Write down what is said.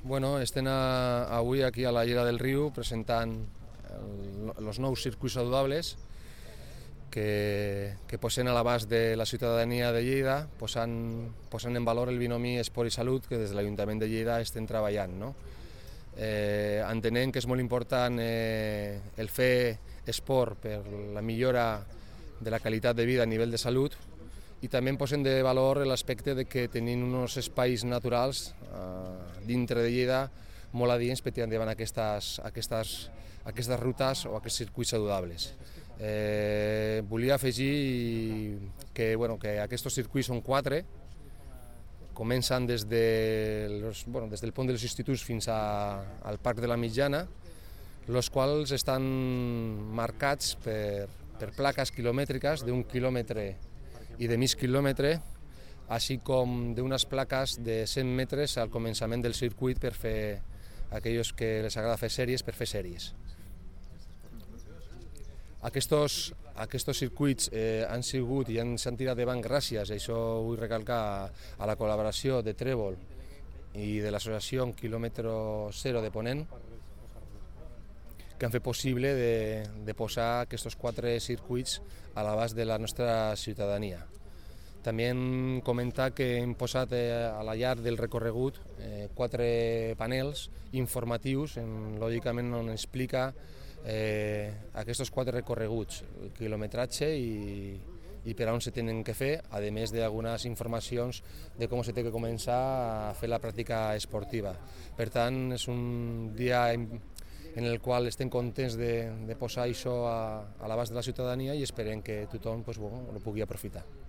Bueno, estem avui aquí a la Llera del Riu presentant els nous circuits saludables que posen a l'abast de la ciutadania de Lleida, posant en valor el binomi Esport i Salut que des de l'Ajuntament de Lleida estem treballant. No? Entenem que és molt important el fer esport per la millora de la qualitat de vida a nivell de salut i també posem de valor l'aspecte de que tenim uns espais naturals dintre de Lleida molt adients per tirar endavant aquestes rutes o aquests circuits saludables. Volia afegir que aquests circuits són 4, comencen des del pont dels instituts fins al Parc de la Mitjana, els quals estan marcats per plaques quilomètriques d'1 quilòmetre i de mig quilòmetre, així com d'unes plaques de 100 metres al començament del circuit per fer aquells que les agrada fer sèries, per fer sèries. Aquests circuits han sigut i s'han tirat endavant gràcies, això vull recalcar, a la col·laboració de Trèvol i de l'associació Kilòmetre Zero de Ponent, que han fet possible de posar aquests 4 circuits a l'abast de la nostra ciutadania. També hem comentat que hem posat a la llarg del recorregut 4 panels informatius, lògicament on explica aquests 4 recorreguts, el quilometratge i per on se tenen que fer, a més d'algunes informacions de com se té que començar a fer la pràctica esportiva. Per tant, és un dia en el qual estem contents de posar això a l'abast de la ciutadania i esperem que tothom ho pugui aprofitar.